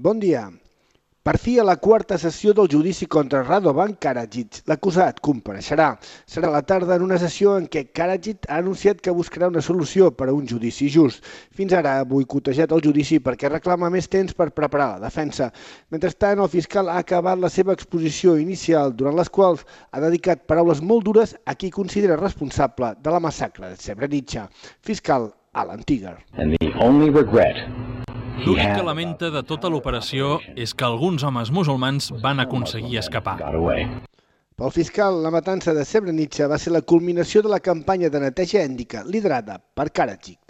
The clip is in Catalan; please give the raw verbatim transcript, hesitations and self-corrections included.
Bon dia. Per fi a la quarta sessió del judici contra Radovan Karadzic, l'acusat compareixerà. Serà a la tarda en una sessió en què Karadzic ha anunciat que buscarà una solució per a un judici just. Fins ara ha boicotejat el judici perquè reclama més temps per preparar la defensa. Mentrestant, el fiscal ha acabat la seva exposició inicial, durant les quals ha dedicat paraules molt dures a qui considera responsable de la massacre de Srebrenica. Fiscal Alan Tigar. And the only regret L'únic que lamenta de tota l'operació és que alguns homes musulmans van aconseguir escapar. got away. Pel fiscal, la matança de Srebrenica va ser la culminació de la campanya de neteja ètnica liderada per Karadzic.